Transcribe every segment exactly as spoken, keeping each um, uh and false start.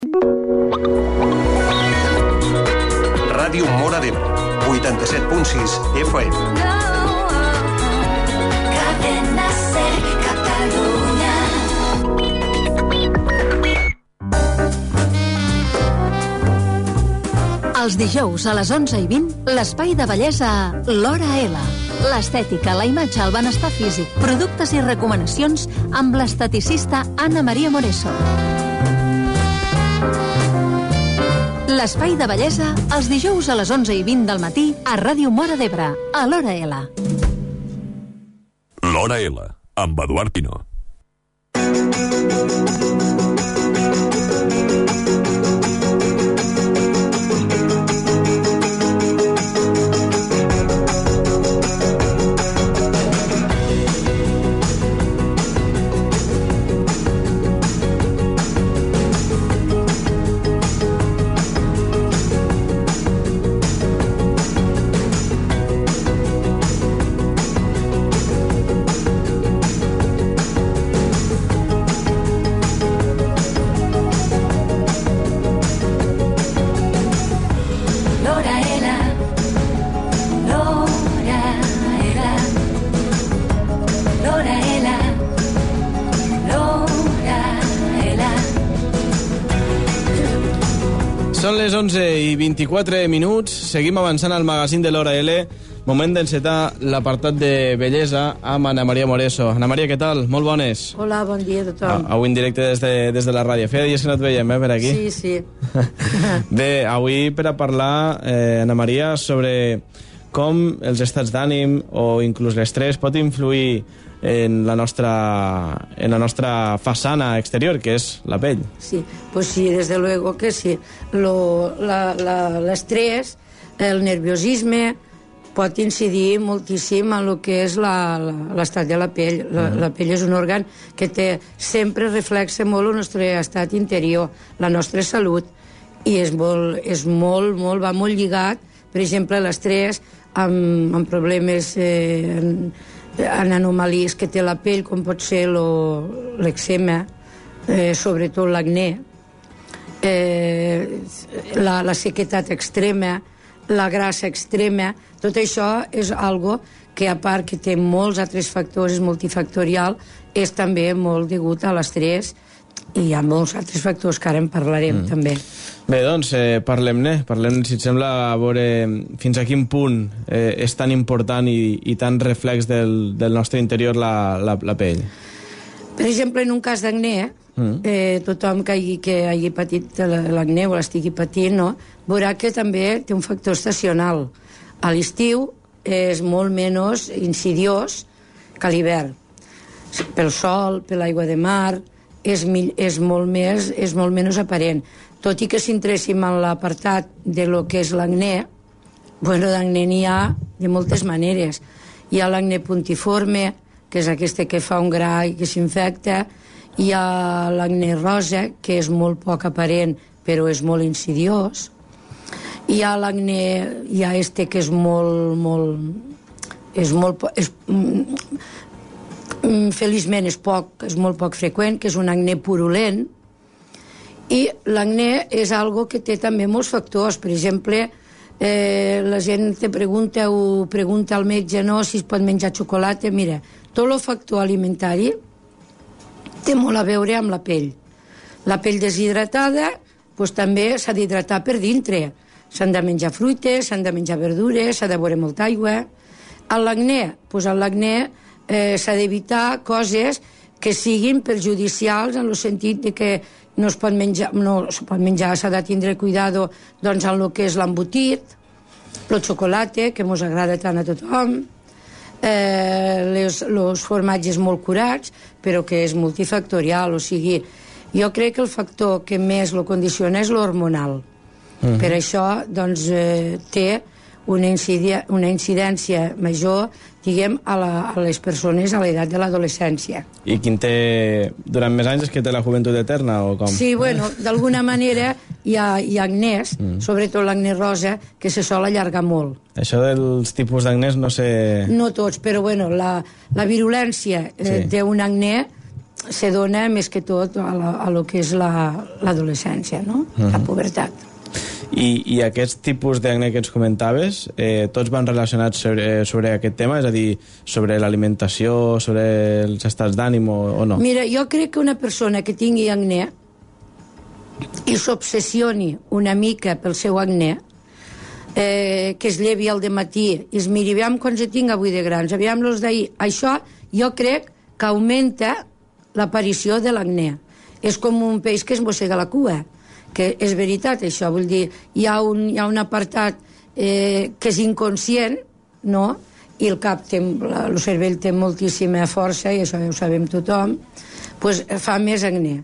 Ràdio Móra d'Ebre, vuitanta-set punt sis F M. Cadena Ser, Catalunya. Els dijous a les onze i vint, l'espai de bellesa a l'Hora L. L'estètica, la imatge, el benestar físic, productes i recomanacions amb l'esteticista Anna Maria Moreso. L'espai de bellesa els dijous a les onze i vint del matí a Ràdio Móra d'Ebre, a l'Hora L. L'Hora L, amb Eduard Pino. Són les onze i vint-i-quatre minuts, seguim avançant al magazín de l'Hora L, moment d'encetar l'apartat de bellesa amb Anna Maria Moreso. Anna Maria, què tal? Molt bones. Hola, bon dia a tothom. Ah, avui en directe des de, des de la ràdio. Feia dies que no et veiem, eh, per aquí. Sí, sí. Bé, avui per a parlar, eh, Anna Maria, sobre com els estats d'ànim o inclús l'estrès pot influir en la nostra, en la nostra façana exterior, que és la pell. Sí, pues sí, desde luego que sí. Lo, la, la, l'estrès, el nerviosisme, pot incidir moltíssim en el que és la, la, l'estat de la pell. La, mm. la pell és un òrgan que té, sempre reflexa molt el nostre estat interior, la nostra salut, i és molt, és molt, molt, va molt lligat, per exemple, l'estrès amb, amb problemes eh, en, en anomalies que té la pell, com pot ser lo, l'eczema, eh, sobretot l'acné, eh, la, la sequetat extrema, la grassa extrema. Tot això és algo que, a part que té molts altres factors, és multifactorial, és també molt degut a l'estrès, i hi ha molts altres factors que ara en parlarem, mm. també. Bé, doncs, eh, parlem-ne. Parlem, si et sembla, a veure fins a quin punt eh, és tan important i, i tan reflex del, del nostre interior la, la, la pell. Per exemple, en un cas d'acné, mm. eh, tothom que hagi, que hagi patit l'acné o l'estigui patint, no, veurà que també té un factor estacional. A l'estiu és molt menys insidiós que a l'hivern. Pel sol, per l'aigua de mar, és, és, molt més, és molt menys aparent. Tot i que si entréssim en l'apartat de lo que és l'acné, bueno, d'acné n'hi ha de moltes maneres. Hi ha l'acné puntiforme, que és aquesta que fa un gra i que s'infecta. Hi ha l'acné rosa, que és molt poc aparent, però és molt insidiós. Hi ha l'acné, hi ha este que és molt, molt... És molt... És, feliçment és poc, és molt poc freqüent, que és un acné purulent. I l'acné és algo que té també molts factors. Per exemple, eh, la gent te pregunta o pregunta al metge, no, si es pot menjar xocolata. Mira, tot el factor alimentari té molt a veure amb la pell. La pell deshidratada, doncs també s'ha d'hidratar per dintre. S'han de menjar fruites, s'han de menjar verdures, s'ha de beure molta aigua. A l'acné, doncs a l'acné eh, s'ha d'evitar coses que siguin perjudicials en el sentit de que no es pot menjar, no es pot menjar, s'ha de tindre cuidado doncs en el que és l'embotit, el xocolata, que mos agrada tant a tothom, eh, les, els formatges molt curats, però que és multifactorial, o sigui, jo crec que el factor que més lo condiciona és l'hormonal. Mm-hmm. Per això, doncs, eh, té una, incidia, una incidència major, diguem, a, la, a les persones a l'edat de l'adolescència. I quin té, durant més anys, és que té la joventut eterna, o com? Sí, bueno, d'alguna manera hi ha, hi ha acnès, mm. sobretot l'acné rosa, que se sol allargar molt. Això dels tipus d'acnès no sé... No tots, però bueno, la, la virulència eh, sí. d'un acné se dona més que tot a, la, a lo que és l'adolescència, la, no? Uh-huh. La pubertat. I, i aquest tipus d'acne que ens comentaves, eh, tots van relacionats sobre, sobre aquest tema? És a dir, sobre l'alimentació, sobre els estats d'ànim o, o no? Mira, jo crec que una persona que tingui acné i s'obsessioni una mica pel seu acné, eh, que es llevi al dematí i es miri, aviam quants tinc avui de grans, aviam los d'ahir, això jo crec que augmenta l'aparició de l'acné. És com un peix que es mossega la cua, que és veritat això, vull dir, hi ha un, hi ha un apartat eh, que és inconscient, no?, i el cap té, el cervell té moltíssima força, i això ja ho sabem tothom, pues fa més acné.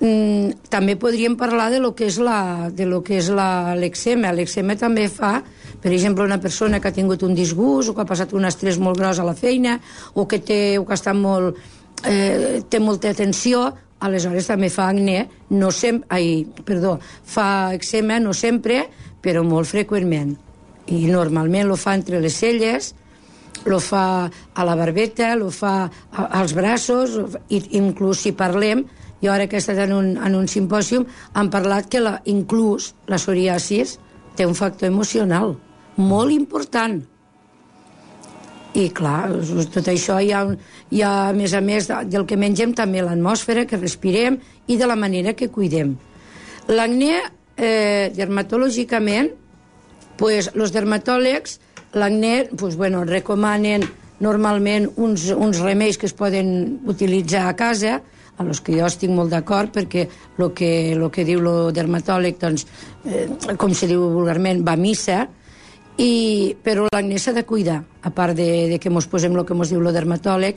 Mm, també podríem parlar de lo que és la, de lo que és la, l'èczema. L'èczema també fa, per exemple, una persona que ha tingut un disgust o que ha passat un estrès molt gros a la feina o que, té, o que està molt, eh, té molta tensió, aleshores també fa acné, no sempre, ai, perdó, fa eczema no sempre, però molt freqüentment. I normalment lo fa entre les celles, lo fa a la barbeta, lo fa als braços, i inclús si parlem, jo ara que he estat en un, en un simpòsium, han parlat que la, inclús la psoriasis té un factor emocional molt important. I clar, tot això hi ha, un, hi ha a més a més del que mengem també l'atmosfera que respirem i de la manera que cuidem. L'acné, eh, dermatològicament, pues, els dermatòlegs, l'acné, pues, bueno, recomanen normalment uns, uns remeis que es poden utilitzar a casa, a los que jo estic molt d'acord, perquè el que, lo que diu el dermatòleg, doncs, eh, com se diu vulgarment, va a missa. I, però l'acné s'ha de cuidar, a part de, de que ens posem el que ens diu el dermatòleg,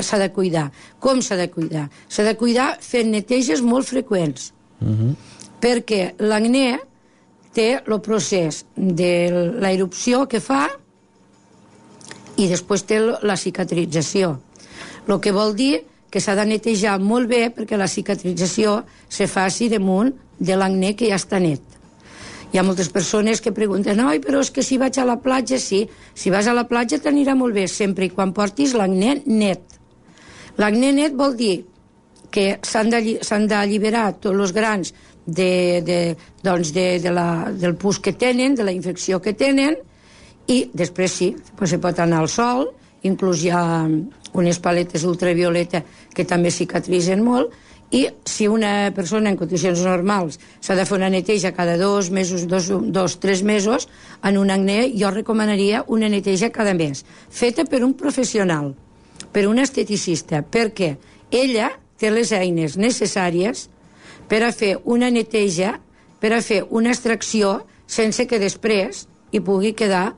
s'ha de cuidar. Com s'ha de cuidar? S'ha de cuidar fent neteges molt freqüents, uh-huh. perquè l'acné té el procés de la erupció que fa i després té la cicatrització. El que vol dir que s'ha de netejar molt bé perquè la cicatrització se faci damunt de l'acné que ja està net. Hi ha moltes persones que pregunten, oi, però és que si vaig a la platja, sí, si vas a la platja t'anirà molt bé, sempre i quan portis l'acné net. L'acné net vol dir que s'han d'alliberar tots els grans de, de, doncs de, de la, del pus que tenen, de la infecció que tenen, i després sí, pues se pot anar al sol, inclús hi ha unes paletes ultravioleta que també cicatritzen molt, i si una persona en condicions normals s'ha de fer una neteja cada dos mesos, dos, dos, tres mesos, en un acné jo recomanaria una neteja cada mes, feta per un professional, per un esteticista, perquè ella té les eines necessàries per a fer una neteja, per a fer una extracció, sense que després hi pugui quedar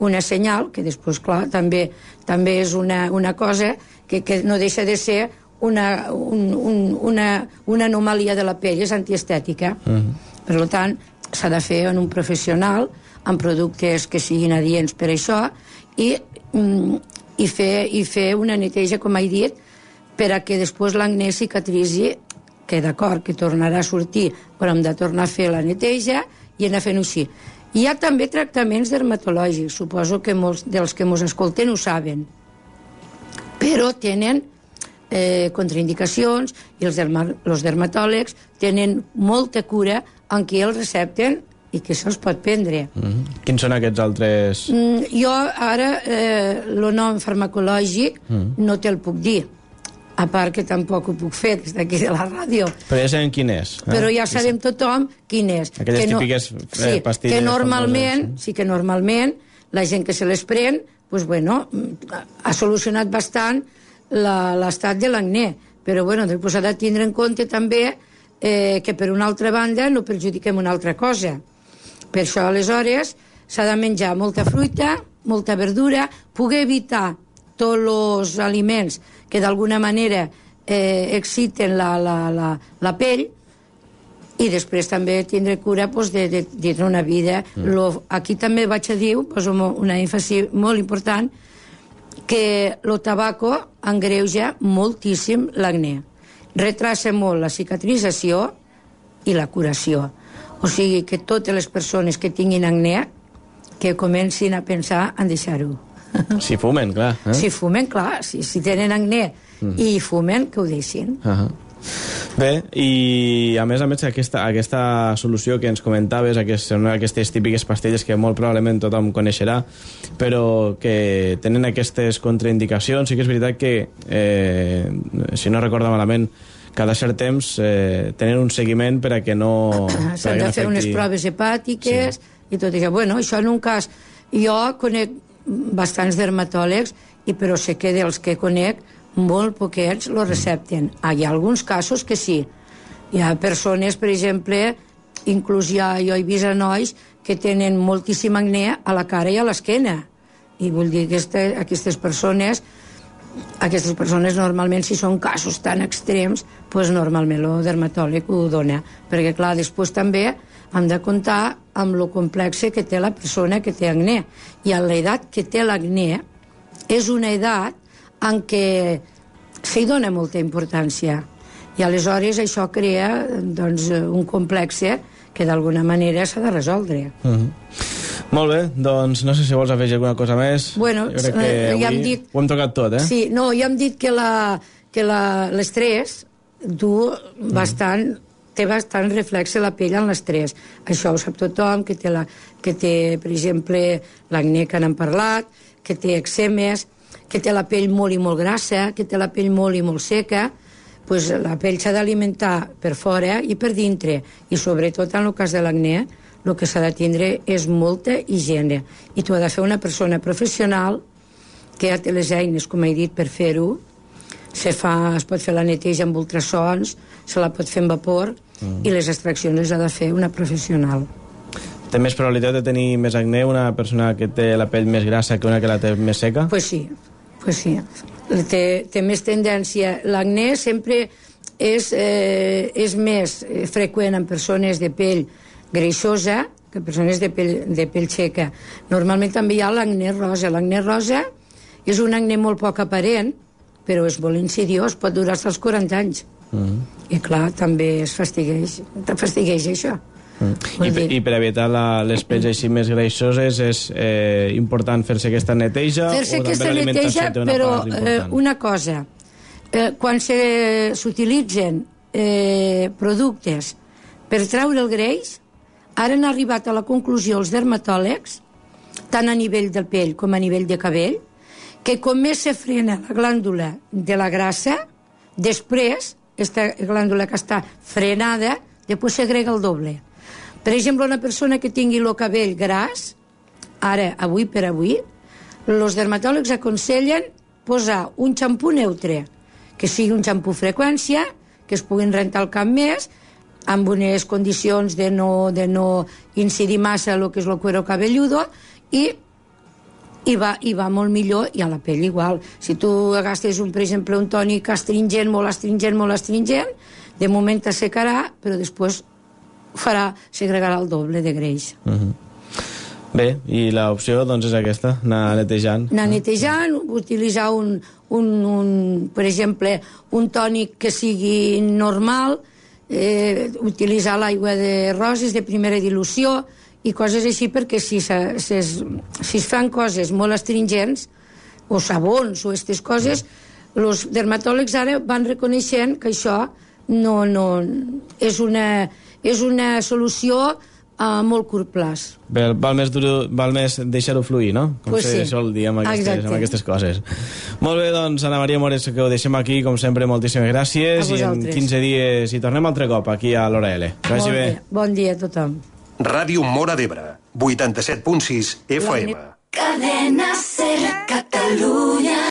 una senyal, que després, clar, també, també és una, una cosa que, que no deixa de ser Una, un, un, una, una anomalia de la pell, és antiestètica. Uh-huh. Per tant, s'ha de fer en un professional, amb productes que siguin adients per això, i, i, fer, i fer una neteja, com he dit, per a que després l'acné cicatritzi, que d'acord, que tornarà a sortir, però hem de tornar a fer la neteja i anar fent-ho així. Hi ha també tractaments dermatològics, suposo que molts dels que ens escolten ho saben, però tenen Eh, contraindicacions, i els, derma, els dermatòlegs tenen molta cura en qui els recepten i que se'ls pot prendre. Mm-hmm. Quins són aquests altres? Mm, jo ara eh, el nom farmacològic mm. no te'l puc dir, a part que tampoc ho puc fer des d'aquí de la ràdio. Però ja sabem quin és. Eh? Però ja sabem tothom quin és. Aquelles que no, típiques eh, sí, pastilles. Que normalment, famoses, sí que normalment la gent que se les pren, pues bueno, ha solucionat bastant l'estat de l'acné, però bueno, després s'ha de tindre en compte també eh, que per una altra banda no perjudiquem una altra cosa. Per això aleshores s'ha de menjar molta fruita, molta verdura, poder evitar tots els aliments que d'alguna manera eh, exciten la, la, la, la pell, i després també tindre cura pues, de, de, de una vida. Mm. Lo, aquí també vaig a dir, poso una èmfasi molt important, que el tabaco engreuja moltíssim l'acné. Retrassa molt la cicatrització i la curació. O sigui que totes les persones que tinguin acné que comencin a pensar en deixar-ho. Si fumen, clar. Eh? Si fumen, clar. Si, si tenen acné mm. i fumen, que ho deixin. Uh -huh. Bé, i a més a més aquesta, aquesta solució que ens comentaves, aquest, són aquestes típiques pastilles que molt probablement tothom coneixerà, però que tenen aquestes contraindicacions. Sí que és veritat que, eh, si no recordo malament, cada cert temps eh, tenen un seguiment per a que no... S'han de fer unes proves hepàtiques, sí. I tot això. Bueno, això en un cas... Jo conec bastants dermatòlegs, i però sé que dels que conec molt poquets lo recepten. Ah, hi ha alguns casos que sí. Hi ha persones, per exemple, inclús ja jo he vist a nois que tenen moltíssim acné a la cara i a l'esquena. I vull dir que este, aquestes persones aquestes persones normalment, si són casos tan extrems, pues normalment el dermatòleg ho dona. Perquè, clar, després també hem de comptar amb lo complexe que té la persona que té acné. I a l'edat que té l'acné és una edat en què s'hi dona molta importància. I aleshores això crea doncs, un complexe que d'alguna manera s'ha de resoldre. Uh-huh. Molt bé, doncs no sé si vols afegir alguna cosa més. Bueno, jo crec que ja avui hem dit... ho hem tocat tot, eh? Sí, no, ja hem dit que l'estrès du bastant... té bastant reflexe la pell en l'estrès. Això ho sap tothom, que té, la, que té per exemple, l'acné que n'hem parlat, que té eczemes, que té la pell molt i molt grassa, que té la pell molt i molt seca. Pues la pell s'ha d'alimentar per fora i per dintre. I sobretot en el cas de l'acné, el que s'ha de tindre és molta higiene. I tu has de fer una persona professional que ja té les eines, com he dit, per fer-ho. Se fa, es pot fer la neteja amb ultrasons, se la pot fer amb vapor, mm. i les extraccions les ha de fer una professional. Té més probabilitat de tenir més acné una persona que té la pell més grassa que una que la té més seca? Pues sí, pues sí. Té, té més tendència. L'acné sempre és, eh, és més freqüent en persones de pell greixosa que persones de pell, de pell seca. Normalment també hi ha l'acné rosa. L'acné rosa és un acné molt poc aparent, però és molt insidiós, pot durar fins als quaranta anys. Mm. I clar, també es fastigueix, fastigueix això. Mm. I, per, I per evitar la, les pells així més greixoses és eh, important fer-se aquesta neteja? Fer-se aquesta neteja, però eh, una cosa, eh, quan s'utilitzen eh, productes per treure el greix, ara han arribat a la conclusió els dermatòlegs, tant a nivell del pell com a nivell de cabell, que com més se frena la glàndula de la grassa, després, aquesta glàndula que està frenada, després s'agrega el doble. Per exemple, una persona que tingui el cabell gras, ara, avui per avui, els dermatòlegs aconsellen posar un xampú neutre, que sigui un xampú freqüència, que es puguin rentar el cap més, amb unes condicions de no, de no incidir massa el que és el cuero cabelludo, i i va, i va molt millor, i a la pell igual. Si tu agastes, un, per exemple, un tònic astringent, molt astringent, molt astringent, de moment t'assecarà, però després farà, segregarà el doble de greix. Uh-huh. Bé, i l'opció doncs és aquesta, anar netejant. Anar netejant, utilitzar un, un, un, per exemple, un tònic que sigui normal, eh, utilitzar l'aigua de roses de primera dilució, i coses així, perquè si, se, se, si es fan coses molt astringents, o sabons, o aquestes coses, els dermatòlegs ara van reconeixent que això no, no, és, una, és una solució a molt curt plaç. Bé, val més, dur, val més deixar-ho fluir, no? Com pues se sí. sol dir amb aquestes, amb aquestes coses. Molt bé, doncs, Ana Maria Mores, que ho deixem aquí, com sempre, moltíssimes gràcies, i en quinze dies hi tornem altre cop, aquí a l'Hora L. Que vagi bé. bé. Bon dia a tothom. Ràdio Móra d'Ebre, vuitanta-set punt sis F M. Cadenas